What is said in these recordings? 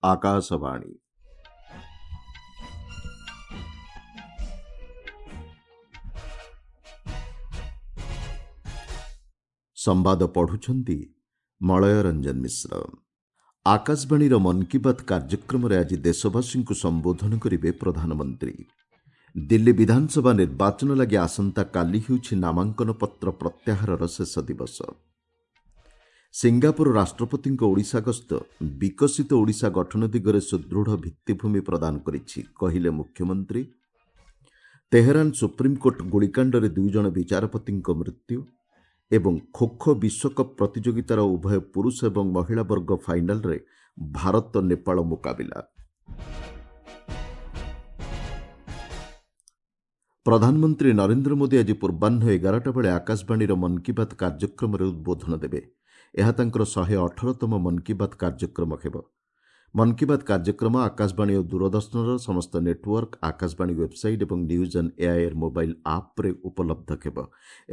ଆକାଶବାଣୀ। ସମ୍ବାଦ ପଢ଼ୁଛନ୍ତି ମଳୟ ରଞ୍ଜନ ମିଶ୍ର। ଆକାଶବାଣୀର ମନ୍ କି ବାତ୍ କାର୍ଯ୍ୟକ୍ରମରେ ଆଜି ଦେଶବାସୀଙ୍କୁ ସମ୍ବୋଧନ କରିବେ ପ୍ରଧାନମନ୍ତ୍ରୀ। ଦିଲ୍ଲୀ ବିଧାନସଭା ନିର୍ବାଚନ ଲାଗି ଆସନ୍ତାକାଲି ହେଉଛି ନାମାଙ୍କନ ପତ୍ର ପ୍ରତ୍ୟାହାରର ଶେଷ ଦିବସ। ସିଙ୍ଗାପୁର ରାଷ୍ଟ୍ରପତିଙ୍କ ଓଡ଼ିଶା ଗସ୍ତ ବିକଶିତ ଓଡ଼ିଶା ଗଠନ ଦିଗରେ ସୁଦୃଢ଼ ଭିତ୍ତିଭୂମି ପ୍ରଦାନ କରିଛି, କହିଲେ ମୁଖ୍ୟମନ୍ତ୍ରୀ। ତେହେରାନ ସୁପ୍ରିମକୋର୍ଟ ଗୁଳିକାଣ୍ଡରେ 2 ଜଣ ବିଚାରପତିଙ୍କ ମୃତ୍ୟୁ ଏବଂ ଖୋଖୋ ବିଶ୍ୱକପ୍ ପ୍ରତିଯୋଗିତାର ଉଭୟ ପୁରୁଷ ଏବଂ ମହିଳା ବର୍ଗ ଫାଇନାଲରେ ଭାରତ ନେପାଳ ମୁକାବିଲା। ପ୍ରଧାନମନ୍ତ୍ରୀ ନରେନ୍ଦ୍ର ମୋଦି ଆଜି ପୂର୍ବାହ୍ନ 11ଟା ବେଳେ ଆକାଶବାଣୀର ମନ୍ କି ବାତ୍ କାର୍ଯ୍ୟକ୍ରମରେ ଉଦ୍ବୋଧନ ଦେବେ। ଏହା ତାଙ୍କର 118ତମ ମନ୍ କି ବାତ୍ କାର୍ଯ୍ୟକ୍ରମ ହେବ। ମନ୍ କି ବାତ୍ କାର୍ଯ୍ୟକ୍ରମ ଆକାଶବାଣୀ ଓ ଦୂରଦର୍ଶନର ସମସ୍ତ ନେଟୱାର୍କ, ଆକାଶବାଣୀ ୱେବ୍ସାଇଟ୍ ଏବଂ ନ୍ୟୁଜ୍ ଅନ୍ ଏଆଇଆର୍ ମୋବାଇଲ୍ ଆପ୍ରେ ଉପଲବ୍ଧ ହେବ।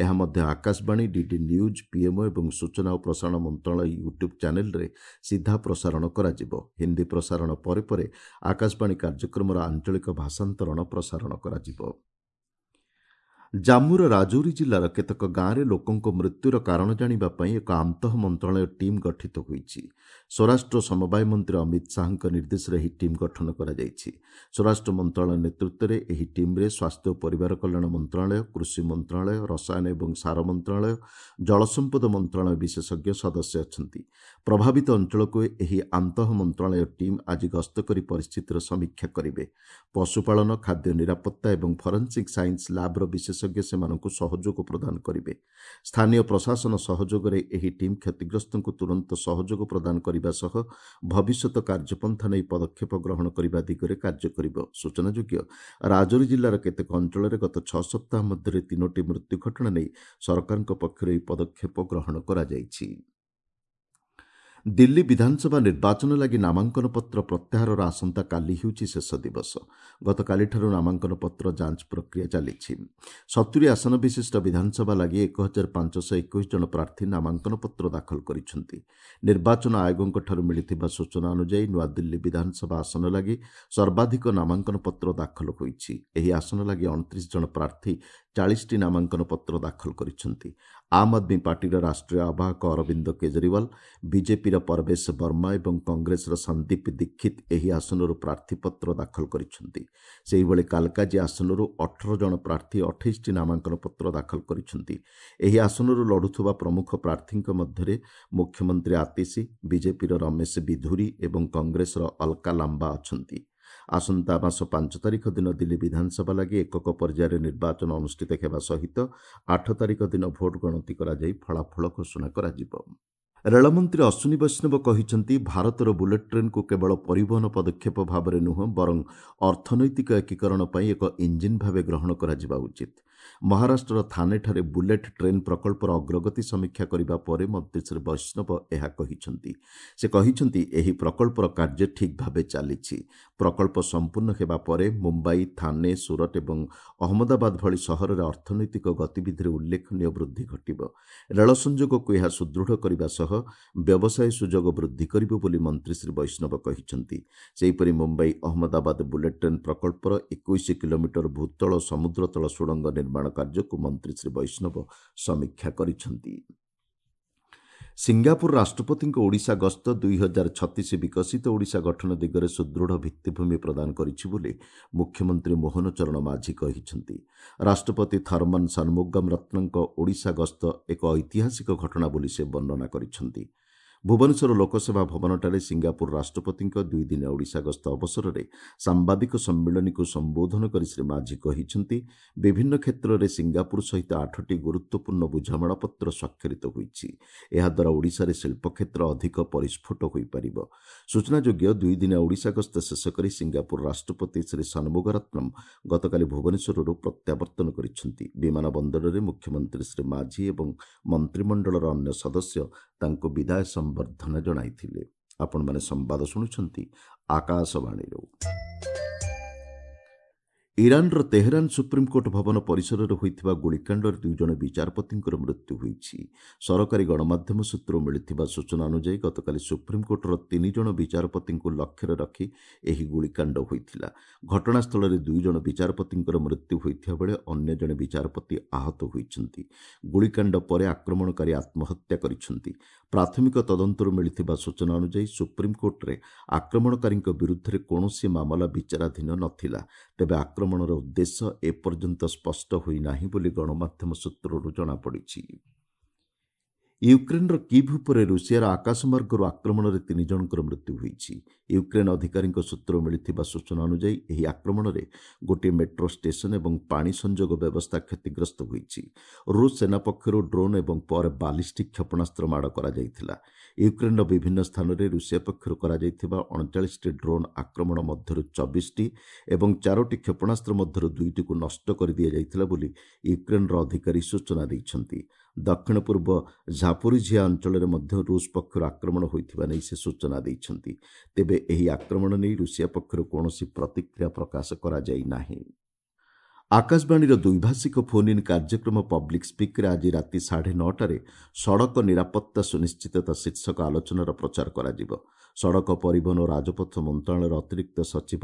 ଏହା ମଧ୍ୟ ଆକାଶବାଣୀ, ଡିଡି ନ୍ୟୁଜ୍, ପିଏମ୍ଓ ଏବଂ ସୂଚନା ଓ ପ୍ରସାରଣ ମନ୍ତ୍ରଣାଳୟ ୟୁଟ୍ୟୁବ୍ ଚ୍ୟାନେଲ୍ରେ ସିଧା ପ୍ରସାରଣ କରାଯିବ। ହିନ୍ଦୀ ପ୍ରସାରଣ ପରେ ପରେ ଆକାଶବାଣୀ କାର୍ଯ୍ୟକ୍ରମର ଆଞ୍ଚଳିକ ଭାଷାନ୍ତରଣ ପ୍ରସାରଣ କରାଯିବ। ଜାମ୍ମୁର ରାଜୌରୀ ଜିଲ୍ଲାର କେତେକ ଗାଁରେ ଲୋକଙ୍କ ମୃତ୍ୟୁର କାରଣ ଜାଣିବା ପାଇଁ ଏକ ଆନ୍ତଃ ମନ୍ତ୍ରଣାଳୟ ଟିମ୍ ଗଠିତ ହୋଇଛି। ସ୍ୱରାଷ୍ଟ୍ର ସମବାୟ ମନ୍ତ୍ରୀ ଅମିତ ଶାହାଙ୍କ ନିର୍ଦ୍ଦେଶରେ ଏହି ଟିମ୍ ଗଠନ କରାଯାଇଛି। ସ୍ୱରାଷ୍ଟ୍ର ମନ୍ତ୍ରଣାଳୟ ନେତୃତ୍ୱରେ ଏହି ଟିମ୍ରେ ସ୍ୱାସ୍ଥ୍ୟ ଓ ପରିବାର କଲ୍ୟାଣ ମନ୍ତ୍ରଣାଳୟ, କୃଷି ମନ୍ତ୍ରଣାଳୟ, ରସାୟନ ଏବଂ ସାର ମନ୍ତ୍ରଣାଳୟ, ଜଳସମ୍ପଦ ମନ୍ତ୍ରଣାଳୟ ବିଶେଷଜ୍ଞ ସଦସ୍ୟ ଅଛନ୍ତି। ପ୍ରଭାବିତ ଅଞ୍ଚଳକୁ ଏହି ଆନ୍ତଃ ମନ୍ତ୍ରଣାଳୟ ଟିମ୍ ଆଜି ଗସ୍ତ କରି ପରିସ୍ଥିତିର ସମୀକ୍ଷା କରିବେ। ପଶୁପାଳନ, ଖାଦ୍ୟ ନିରାପତ୍ତା ଏବଂ ଫରେନ୍ସିକ୍ ସାଇନ୍ସ ଲ୍ୟାବ୍ର ବିଶେଷଜ୍ଞ ସେମାନଙ୍କୁ ସହଯୋଗ ପ୍ରଦାନ କରିବେ। ସ୍ଥାନୀୟ ପ୍ରଶାସନ ସହଯୋଗରେ ଏହି ଟିମ୍ କ୍ଷତିଗ୍ରସ୍ତଙ୍କୁ ତୁରନ୍ତ ସହଯୋଗ ପ୍ରଦାନ କରିବା ସହ ଭବିଷ୍ୟତ କାର୍ଯ୍ୟପନ୍ଥା ନେଇ ପଦକ୍ଷେପ ଗ୍ରହଣ କରିବା ଦିଗରେ କାର୍ଯ୍ୟ କରିବ। ସୂଚନାଯୋଗ୍ୟ, ରାଜୌରୀ ଜିଲ୍ଲାର କେତେକ ଅଞ୍ଚଳରେ ଗତ 6 ସପ୍ତାହ ମଧ୍ୟରେ 3ଟି ମୃତ୍ୟୁ ଘଟଣା ନେଇ ସରକାରଙ୍କ ପକ୍ଷରୁ ଏହି ପଦକ୍ଷେପ ଗ୍ରହଣ କରାଯାଇଛି। ଦିଲ୍ଲୀ ବିଧାନସଭା ନିର୍ବାଚନ ଲାଗି ନାମାଙ୍କନ ପତ୍ର ପ୍ରତ୍ୟାହାରର ଆସନ୍ତାକାଲି ହେଉଛି ଶେଷ ଦିବସ। ଗତକାଲିଠାରୁ ନାମାଙ୍କନ ପତ୍ର ଯାଞ୍ଚ ପ୍ରକ୍ରିୟା ଚାଲିଛି। 70 ଆସନ ବିଶିଷ୍ଟ ବିଧାନସଭା ଲାଗି 1521 ଜଣ ପ୍ରାର୍ଥୀ ନାମାଙ୍କନ ପତ୍ର ଦାଖଲ କରିଛନ୍ତି। ନିର୍ବାଚନ ଆୟୋଗଙ୍କଠାରୁ ମିଳିଥିବା ସୂଚନା ଅନୁଯାୟୀ ନୂଆଦିଲ୍ଲୀ ବିଧାନସଭା ଆସନ ଲାଗି ସର୍ବାଧିକ ନାମାଙ୍କନ ପତ୍ର ଦାଖଲ ହୋଇଛି। ଏହି ଆସନ ଲାଗି 29 ଜଣ ପ୍ରାର୍ଥୀ 40ଟି ନାମାଙ୍କନ ପତ୍ର ଦାଖଲ କରିଛନ୍ତି। ଆମ୍ ଆଦମୀ ପାର୍ଟିର ରାଷ୍ଟ୍ରୀୟ ଆବାହକ ଅରବିନ୍ଦ କେଜରିୱାଲ, ବିଜେପିର ପରବେଶ ବର୍ମା ଏବଂ କଂଗ୍ରେସର ସନ୍ଦୀପ ଦୀକ୍ଷିତ ଏହି ଆସନରୁ ପ୍ରାର୍ଥୀପତ୍ର ଦାଖଲ କରିଛନ୍ତି। ସେହିଭଳି କାଲକାଜି ଆସନରୁ 18 ଜଣ ପ୍ରାର୍ଥୀ 28ଟି ନାମାଙ୍କନ ପତ୍ର ଦାଖଲ କରିଛନ୍ତି। ଏହି ଆସନରୁ ଲଢ଼ୁଥିବା ପ୍ରମୁଖ ପ୍ରାର୍ଥୀଙ୍କ ମଧ୍ୟରେ ମୁଖ୍ୟମନ୍ତ୍ରୀ ଆତିଶୀ, ବିଜେପିର ରମେଶ ବିଧୁରୀ ଏବଂ କଂଗ୍ରେସର ଅଲକା ଲାମ୍ବା ଅଛନ୍ତି। ଆସନ୍ତା ମାସ 5 ତାରିଖ ଦିନ ଦିଲ୍ଲୀ ବିଧାନସଭା ଲାଗି ଏକକ ପର୍ଯ୍ୟାୟରେ ନିର୍ବାଚନ ଅନୁଷ୍ଠିତ ହେବା ସହିତ 8 ତାରିଖ ଦିନ ଭୋଟ ଗଣତି କରାଯାଇ ଫଳାଫଳ ଘୋଷଣା କରାଯିବ। ରେଳମନ୍ତ୍ରୀ ଅଶ୍ୱିନୀ ବୈଷ୍ଣବ କହିଛନ୍ତି, ଭାରତର ବୁଲେଟ୍ ଟ୍ରେନ୍କୁ କେବଳ ପରିବହନ ପଦକ୍ଷେପ ଭାବରେ ନୁହଁ ବରଂ ଅର୍ଥନୈତିକ ଏକୀକରଣ ପାଇଁ ଏକ ଇଞ୍ଜିନ୍ ଭାବେ ଗ୍ରହଣ କରାଯିବା ଉଚିତ। ମହାରାଷ୍ଟ୍ରର ଥାନେଠାରେ ବୁଲେଟ୍ ଟ୍ରେନ୍ ପ୍ରକଳ୍ପର ଅଗ୍ରଗତି ସମୀକ୍ଷା କରିବା ପରେ ମନ୍ତ୍ରୀ ଶ୍ରୀ ବୈଷ୍ଣବ ଏହା କହିଛନ୍ତି। ସେ କହିଛନ୍ତି, ଏହି ପ୍ରକଳ୍ପର କାର୍ଯ୍ୟ ଠିକ୍ ଭାବେ ଚାଲିଛି। ପ୍ରକଳ୍ପ ସମ୍ପୂର୍ଣ୍ଣ ହେବା ପରେ ମୁମ୍ବାଇ, ଥାନେ, ସୁରଟ ଏବଂ ଅହମ୍ମଦାବାଦ ଭଳି ସହରରେ ଅର୍ଥନୈତିକ ଗତିବିଧିରେ ଉଲ୍ଲେଖନୀୟ ବୃଦ୍ଧି ଘଟିବ। ରେଳ ସଂଯୋଗକୁ ଏହା ସୁଦୃଢ଼ କରିବା ସହ ବ୍ୟବସାୟ ସୁଯୋଗ ବୃଦ୍ଧି କରିବ ବୋଲି ମନ୍ତ୍ରୀ ଶ୍ରୀ ବୈଷ୍ଣବ କହିଛନ୍ତି। ସେହିପରି ମୁମ୍ବାଇ ଅହମ୍ମଦାବାଦ ବୁଲେଟ୍ ଟ୍ରେନ୍ ପ୍ରକଳ୍ପର 21 କିଲୋମିଟର ଭୂତଳ ସମୁଦ୍ରତଳ ସୁଡ଼ଙ୍ଗ ନିର୍ମାଣ କାର୍ଯ୍ୟକୁ ମନ୍ତ୍ରୀ ଶ୍ରୀ ବୈଷ୍ଣବ ସମୀକ୍ଷା କରିଛନ୍ତି। ସିଙ୍ଗାପୁର ରାଷ୍ଟ୍ରପତିଙ୍କ ଓଡ଼ିଶା ଗସ୍ତ 2036 ବିକଶିତ ଓଡ଼ିଶା ଗଠନ ଦିଗରେ ସୁଦୃଢ଼ ଭିତ୍ତିଭୂମି ପ୍ରଦାନ କରିଛି ବୋଲି ମୁଖ୍ୟମନ୍ତ୍ରୀ ମୋହନ ଚରଣ ମାଝୀ କହିଛନ୍ତି। ରାଷ୍ଟ୍ରପତି ଥର୍ମନ ସନ୍ମୁଗମ୍ ରତ୍ନଙ୍କ ଓଡ଼ିଶା ଗସ୍ତ ଏକ ଐତିହାସିକ ଘଟଣା ବୋଲି ସେ ବର୍ଣ୍ଣନା କରିଛନ୍ତି। ଭୁବନେଶ୍ୱର ଲୋକସେବା ଭବନଠାରେ ସିଙ୍ଗାପୁର ରାଷ୍ଟ୍ରପତିଙ୍କ 2 ଦିନିଆ ଓଡ଼ିଶା ଗସ୍ତ ଅବସରରେ ସାମ୍ବାଦିକ ସମ୍ମିଳନୀକୁ ସମ୍ବୋଧନ କରି ଶ୍ରୀ ମାଝୀ କହିଛନ୍ତି, ବିଭିନ୍ନ କ୍ଷେତ୍ରରେ ସିଙ୍ଗାପୁର ସହିତ 8ଟି ଗୁରୁତ୍ୱପୂର୍ଣ୍ଣ ବୁଝାମଣାପତ୍ର ସ୍ୱାକ୍ଷରିତ ହୋଇଛି। ଏହାଦ୍ୱାରା ଓଡ଼ିଶାରେ ଶିଳ୍ପକ୍ଷେତ୍ର ଅଧିକ ପରିସ୍ଫୁଟ ହୋଇପାରିବ। ସୂଚନାଯୋଗ୍ୟ, 2 ଦିନିଆ ଓଡ଼ିଶା ଗସ୍ତ ଶେଷ କରି ସିଙ୍ଗାପୁର ରାଷ୍ଟ୍ରପତି ଶ୍ରୀ ସନ୍ମୁଗରତ୍ନମ୍ ଗତକାଲି ଭୁବନେଶ୍ୱରରୁ ପ୍ରତ୍ୟାବର୍ତ୍ତନ କରିଛନ୍ତି। ବିମାନ ବନ୍ଦରରେ ମୁଖ୍ୟମନ୍ତ୍ରୀ ଶ୍ରୀ ମାଝୀ ଏବଂ ମନ୍ତ୍ରିମଣ୍ଡଳର ଅନ୍ୟ ସଦସ୍ୟ ତାଙ୍କୁ ବିଦାୟ ସମ୍ବର୍ଦ୍ଧନା ଜଣାଇଥିଲେ। ଆପଣମାନେ ସମ୍ବାଦ ଶୁଣୁଛନ୍ତି ଆକାଶବାଣୀରୁ। ଇରାନର ତେହେରାନ ସୁପ୍ରିମକୋର୍ଟ ଭବନ ପରିସରରେ ହୋଇଥିବା ଗୁଳିକାଣ୍ଡରେ 2 ଜଣ ବିଚାରପତିଙ୍କର ମୃତ୍ୟୁ ହୋଇଛି। ସରକାରୀ ଗଣମାଧ୍ୟମ ସୂତ୍ରରୁ ମିଳିଥିବା ସୂଚନା ଅନୁଯାୟୀ ଗତକାଲି ସୁପ୍ରିମକୋର୍ଟର 3 ଜଣ ବିଚାରପତିଙ୍କୁ ଲକ୍ଷ୍ୟରେ ରଖି ଏହି ଗୁଳିକାଣ୍ଡ ହୋଇଥିଲା। ଘଟଣାସ୍ଥଳରେ 2 ଜଣ ବିଚାରପତିଙ୍କର ମୃତ୍ୟୁ ହୋଇଥିବା ବେଳେ ଅନ୍ୟ ଜଣେ ବିଚାରପତି ଆହତ ହୋଇଛନ୍ତି। ଗୁଳିକାଣ୍ଡ ପରେ ଆକ୍ରମଣକାରୀ ଆତ୍ମହତ୍ୟା କରିଛନ୍ତି। ପ୍ରାଥମିକ ତଦନ୍ତରୁ ମିଳିଥିବା ସୂଚନା ଅନୁଯାୟୀ ସୁପ୍ରିମକୋର୍ଟରେ ଆକ୍ରମଣକାରୀଙ୍କ ବିରୁଦ୍ଧରେ କୌଣସି ମାମଲା ବିଚାରାଧୀନ ନଥିଲା। ତେବେ ଆକ୍ରମଣର ଉଦ୍ଦେଶ୍ୟ ଏପର୍ଯ୍ୟନ୍ତ ସ୍ପଷ୍ଟ ହୋଇନାହିଁ ବୋଲି ଗଣମାଧ୍ୟମ ସୂତ୍ରରୁ ଜଣାପଡ଼ିଛି। ୟୁକ୍ରେନ୍ର କିଭ୍ ଉପରେ ରୁଷିଆର ଆକାଶମାର୍ଗରୁ ଆକ୍ରମଣରେ 3 ଜଣଙ୍କର ମୃତ୍ୟୁ ହୋଇଛି। ୟୁକ୍ରେନ୍ ଅଧିକାରୀଙ୍କ ସୂତ୍ରରୁ ମିଳିଥିବା ସୂଚନା ଅନୁଯାୟୀ ଏହି ଆକ୍ରମଣରେ ଗୋଟିଏ ମେଟ୍ରୋ ଷ୍ଟେସନ ଏବଂ ପାଣି ସଂଯୋଗ ବ୍ୟବସ୍ଥା କ୍ଷତିଗ୍ରସ୍ତ ହୋଇଛି। ରୁଷ ସେନା ପକ୍ଷରୁ ଡ୍ରୋନ୍ ଏବଂ ପରେ ବାଲିଷ୍ଟିକ୍ କ୍ଷେପଣାସ୍ତ୍ର ମାଡ଼ କରାଯାଇଥିଲା। ୟୁକ୍ରେନ୍ର ବିଭିନ୍ନ ସ୍ଥାନରେ ରୁଷିଆ ପକ୍ଷରୁ କରାଯାଇଥିବା 39ଟି ଡ୍ରୋନ୍ ଆକ୍ରମଣ ମଧ୍ୟରୁ 24ଟି ଏବଂ 4ଟି କ୍ଷେପଣାସ୍ତ୍ର ମଧ୍ୟରୁ 2ଟିକୁ ନଷ୍ଟ କରିଦିଆଯାଇଥିଲା ବୋଲି ୟୁକ୍ରେନ୍ର ଅଧିକାରୀ ସୂଚନା ଦେଇଛନ୍ତି। ଦକ୍ଷିଣ ପୂର୍ବ ଝାପୋରିଝିଆ ଅଞ୍ଚଳରେ ମଧ୍ୟ ରୁଷ ପକ୍ଷରୁ ଆକ୍ରମଣ ହୋଇଥିବା ନେଇ ସେ ସୂଚନା ଦେଇଛନ୍ତି। ତେବେ ଏହି ଆକ୍ରମଣ ନେଇ ରୁଷିଆ ପକ୍ଷରୁ କୌଣସି ପ୍ରତିକ୍ରିୟା ପ୍ରକାଶ କରାଯାଇ ନାହିଁ। ଆକାଶବାଣୀର ଦ୍ୱିଭାଷିକ ଫୋନ୍ ଇନ୍ କାର୍ଯ୍ୟକ୍ରମ ପବ୍ଲିକ୍ ସ୍ପିକ୍ରେ ଆଜି ରାତି 9:30ରେ ସଡ଼କ ନିରାପତ୍ତା ସୁନିଶ୍ଚିତତା ଶୀର୍ଷକ ଆଲୋଚନାର ପ୍ରଚାର କରାଯିବ। ସଡ଼କ ପରିବହନ ଓ ରାଜପଥ ମନ୍ତ୍ରଣାଳୟର ଅତିରିକ୍ତ ସଚିବ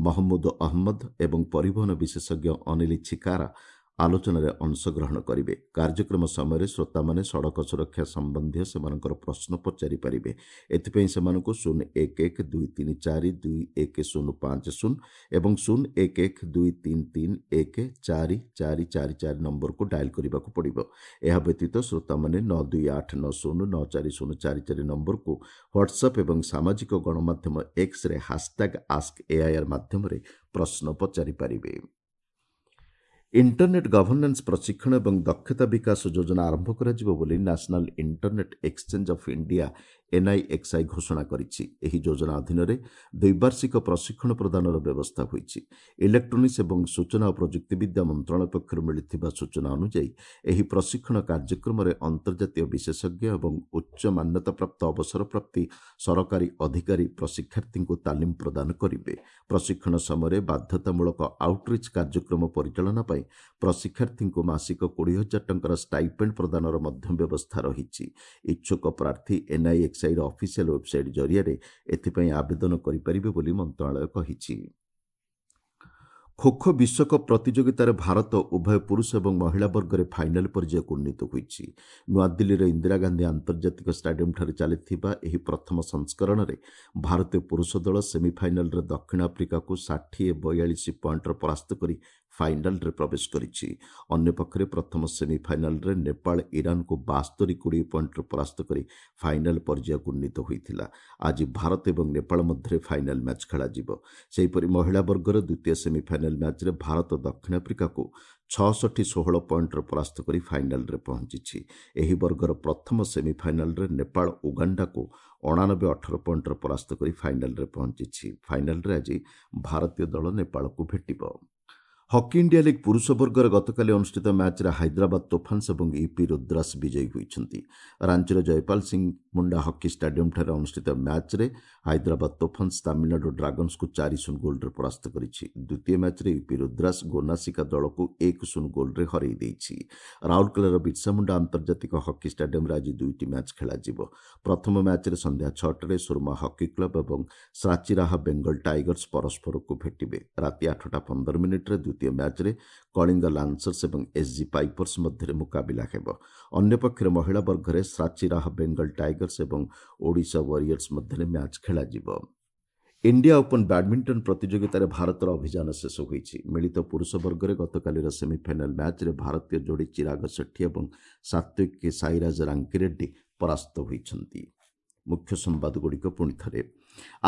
ମହମ୍ମୁଦ ଅହମ୍ମଦ ଏବଂ ପରିବହନ ବିଶେଷଜ୍ଞ ଅନିଲ ଛିକାରା ଆଲୋଚନାରେ ଅଂଶଗ୍ରହଣ କରିବେ। କାର୍ଯ୍ୟକ୍ରମ ସମୟରେ ଶ୍ରୋତାମାନେ ସଡ଼କ ସୁରକ୍ଷା ସମ୍ବନ୍ଧୀୟ ସେମାନଙ୍କର ପ୍ରଶ୍ନ ପଚାରିପାରିବେ। ଏଥିପାଇଁ ସେମାନଙ୍କୁ 0 1 1 2 3 4 2 1 0 5 0 ଏବଂ 0 1 1 2 3 3 1 4 4 4 4 ନମ୍ବରକୁ ଡାଏଲ୍ କରିବାକୁ ପଡ଼ିବ। ଏହା ବ୍ୟତୀତ ଶ୍ରୋତାମାନେ 9 2 8 9 0 9 4 0 4 4 ନମ୍ବରକୁ ହ୍ୱାଟ୍ସଆପ୍ ଏବଂ ସାମାଜିକ ଗଣମାଧ୍ୟମ ଏକ୍ସରେ #AskAIR ମାଧ୍ୟମରେ ପ୍ରଶ୍ନ ପଚାରିପାରିବେ। ଇଣ୍ଟରନେଟ୍ ଗଭର୍ଣ୍ଣାନ୍ସ ପ୍ରଶିକ୍ଷଣ ଏବଂ ଦକ୍ଷତା ବିକାଶ ଯୋଜନା ଆରମ୍ଭ କରାଯିବ ବୋଲି national internet exchange of India NIXI ଘୋଷଣା କରିଛି। ଏହି ଯୋଜନା ଅଧୀନରେ ଦ୍ୱିବାର୍ଷିକ ପ୍ରଶିକ୍ଷଣ ପ୍ରଦାନର ବ୍ୟବସ୍ଥା ହୋଇଛି। ଇଲେକ୍ଟ୍ରୋନିକ୍ସ ଏବଂ ସୂଚନା ଓ ପ୍ରଯୁକ୍ତିବିଦ୍ୟା ମନ୍ତ୍ରଣାଳୟ ପକ୍ଷରୁ ମିଳିଥିବା ସୂଚନା ଅନୁଯାୟୀ ଏହି ପ୍ରଶିକ୍ଷଣ କାର୍ଯ୍ୟକ୍ରମରେ ଅନ୍ତର୍ଜାତୀୟ ବିଶେଷଜ୍ଞ ଏବଂ ଉଚ୍ଚ ମାନ୍ୟତାପ୍ରାପ୍ତ ଅବସରପ୍ରାପ୍ତି ସରକାରୀ ଅଧିକାରୀ ପ୍ରଶିକ୍ଷାର୍ଥୀଙ୍କୁ ତାଲିମ ପ୍ରଦାନ କରିବେ। ପ୍ରଶିକ୍ଷଣ ସମୟରେ ବାଧ୍ୟତାମୂଳକ ଆଉଟରିଚ୍ କାର୍ଯ୍ୟକ୍ରମ ପରିଚାଳନା ପାଇଁ ପ୍ରଶିକ୍ଷାର୍ଥୀଙ୍କୁ ମାସିକ 20,000 ଟଙ୍କାର ଷ୍ଟାଇପେଣ୍ଡ ପ୍ରଦାନର ମଧ୍ୟ ବ୍ୟବସ୍ଥା ରହିଛି। ଇଚ୍ଛୁକ ପ୍ରାର୍ଥୀ NIXIର ଅଫିସିଆଲ ୱେବସାଇଟ୍ ଜରିଆରେ ଏଥିପାଇଁ ଆବେଦନ କରିପାରିବେ ବୋଲି ମନ୍ତ୍ରଣାଳୟ କହିଛି। ଖୋଖୋ ବିଶ୍ୱକପ୍ ପ୍ରତିଯୋଗିତାରେ ଭାରତ ଉଭୟ ପୁରୁଷ ଏବଂ ମହିଳା ବର୍ଗରେ ଫାଇନାଲ୍ ପର୍ଯ୍ୟାୟକୁ ଉନ୍ନୀତ ହୋଇଛି। ନୂଆଦିଲ୍ଲୀର ଇନ୍ଦିରା ଗାନ୍ଧୀ ଆନ୍ତର୍ଜାତିକ ଷ୍ଟାଡିୟମ୍ଠାରେ ଚାଲିଥିବା ଏହି ପ୍ରଥମ ସଂସ୍କରଣରେ ଭାରତୀୟ ପୁରୁଷ ଦଳ ସେମିଫାଇନାଲ୍ରେ ଦକ୍ଷିଣ ଆଫ୍ରିକାକୁ 60-42 ପଏଣ୍ଟର ପରାସ୍ତ କରି ଫାଇନାଲ୍ରେ ପ୍ରବେଶ କରିଛି। ଅନ୍ୟପକ୍ଷରେ ପ୍ରଥମ ସେମିଫାଇନାଲ୍ରେ ନେପାଳ ଇରାନକୁ 72-20 ପଏଣ୍ଟରେ ପରାସ୍ତ କରି ଫାଇନାଲ୍ ପର୍ଯ୍ୟାୟକୁ ଉନ୍ନୀତ ହୋଇଥିଲା। ଆଜି ଭାରତ ଏବଂ ନେପାଳ ମଧ୍ୟରେ ଫାଇନାଲ୍ ମ୍ୟାଚ୍ ଖେଳାଯିବ। ସେହିପରି ମହିଳା ବର୍ଗର ଦ୍ୱିତୀୟ ସେମିଫାଇନାଲ୍ ମ୍ୟାଚ୍ରେ ଭାରତ ଦକ୍ଷିଣ ଆଫ୍ରିକାକୁ 66-16 ପଏଣ୍ଟରେ ପରାସ୍ତ କରି ଫାଇନାଲ୍ରେ ପହଞ୍ଚିଛି। ଏହି ବର୍ଗର ପ୍ରଥମ ସେମିଫାଇନାଲ୍ରେ ନେପାଳ ଉଗାଣ୍ଡାକୁ 89-18 ପଏଣ୍ଟରେ ପରାସ୍ତ କରି ଫାଇନାଲ୍ରେ ପହଞ୍ଚିଛି। ଫାଇନାଲ୍ରେ ଆଜି ଭାରତୀୟ ଦଳ ନେପାଳକୁ ଭେଟିବ। ହକି ଇଣ୍ଡିଆ ଲିଗ୍ ପୁରୁଷ ବର୍ଗରେ ଗତକାଲି ଅନୁଷ୍ଠିତ ମ୍ୟାଚ୍ରେ ହାଇଦ୍ରାବାଦ ତୋଫାନ୍ସ ଏବଂ ୟୁପି ରୁଦ୍ରାସ ବିଜୟୀ ହୋଇଛନ୍ତି। ରାଞ୍ଚିର ଜୟପାଲ ସିଂ ମୁଣ୍ଡା ହକି ଷ୍ଟାଡିୟମ୍ଠାରେ ଅନୁଷ୍ଠିତ ମ୍ୟାଚ୍ରେ ହାଇଦ୍ରାବାଦ ତୋଫାନ୍ସ ତାମିଲନାଡୁ ଡ୍ରାଗନ୍ସକୁ 4-0 ଗୋଲ୍ରେ ପରାସ୍ତ କରିଛି। ଦ୍ୱିତୀୟ ମ୍ୟାଚ୍ରେ ୟୁପି ରୁଦ୍ରାସ ଗୋନାସିକା ଦଳକୁ 1-0 ଗୋଲ୍ରେ ହରାଇ ଦେଇଛି। ରାଉରକେଲାର ବିର୍ସା ମୁଣ୍ଡା ଆନ୍ତର୍ଜାତିକ ହକି ଷ୍ଟାଡିୟମ୍ରେ ଆଜି 2ଟି ମ୍ୟାଚ୍ ଖେଳାଯିବ। ପ୍ରଥମ ମ୍ୟାଚ୍ରେ ସନ୍ଧ୍ୟା 6ଟାରେ ସୁରମା ହକି କ୍ଲବ୍ ଏବଂ ସାଚିରାହା ବେଙ୍ଗଲ ଟାଇଗର୍ସ ପରସ୍ପରକୁ ଭେଟିବେ। ରାତି 8:15 ଦ୍ୱିତୀୟ ମ୍ୟାଚ୍ରେ କଳିଙ୍ଗ ଲାନ୍ସର୍ସ ଏବଂ ଏସ୍ଜି ପାଇପର୍ସ ମଧ୍ୟରେ ମୁକାବିଲା ହେବ। ଅନ୍ୟପକ୍ଷରେ ମହିଳା ବର୍ଗରେ ସାଚିରାହା ବେଙ୍ଗଲ ଟାଇଗର୍ସ ଏବଂ ଓଡ଼ିଶା ୱାରିୟର୍ସ ମଧ୍ୟରେ ମ୍ୟାଚ୍ ଖେଳାଯିବ। ଇଣ୍ଡିଆ ଓପନ୍ ବ୍ୟାଡମିଣ୍ଟନ ପ୍ରତିଯୋଗିତାରେ ଭାରତର ଅଭିଯାନ ଶେଷ ହୋଇଛି। ମିଳିତ ପୁରୁଷ ବର୍ଗରେ ଗତକାଲିର ସେମିଫାଇନାଲ୍ ମ୍ୟାଚ୍ରେ ଭାରତୀୟ ଯୋଡ଼ି ଚିରାଗ ସେଠୀ ଏବଂ ସାତ୍ୱିକ ସାଇରାଜ ରାଙ୍କିରେଡ୍ଡି ପରାସ୍ତ ହୋଇଛନ୍ତି। ମୁଖ୍ୟ ସମ୍ବାଦଗୁଡ଼ିକ ପୁଣି ଥରେ।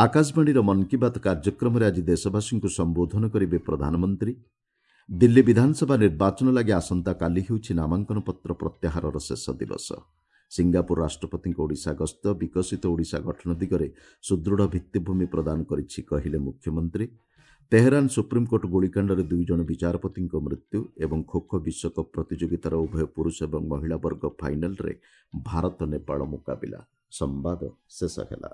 ଆକାଶବାଣୀର ମନ୍ କି ବାତ୍ କାର୍ଯ୍ୟକ୍ରମରେ ଆଜି ଦେଶବାସୀଙ୍କୁ ସମ୍ବୋଧନ କରିବେ ପ୍ରଧାନମନ୍ତ୍ରୀ। ଦିଲ୍ଲୀ ବିଧାନସଭା ନିର୍ବାଚନ ଲାଗି ଆସନ୍ତାକାଲି ହେଉଛି ନାମାଙ୍କନପତ୍ର ପ୍ରତ୍ୟାହାରର ଶେଷ ଦିବସ। ସିଙ୍ଗାପୁର ରାଷ୍ଟ୍ରପତିଙ୍କ ଓଡ଼ିଶା ଗସ୍ତ ବିକଶିତ ଓଡ଼ିଶା ଗଠନ ଦିଗରେ ସୁଦୃଢ଼ ଭିତ୍ତିଭୂମି ପ୍ରଦାନ କରିଛି କହିଲେ ମୁଖ୍ୟମନ୍ତ୍ରୀ। ତେହେରାନ ସୁପ୍ରିମକୋର୍ଟ ଗୁଳିକାଣ୍ଡରେ 2 ଜଣ ବିଚାରପତିଙ୍କ ମୃତ୍ୟୁ ଏବଂ ଖୋଖୋ ବିଶ୍ୱକପ୍ ପ୍ରତିଯୋଗିତାର ଉଭୟ ପୁରୁଷ ଏବଂ ମହିଳା ବର୍ଗ ଫାଇନାଲ୍ରେ ଭାରତ ନେପାଳ ମୁକାବିଲା। ସମ୍ବାଦ ଶେଷ ହେଲା।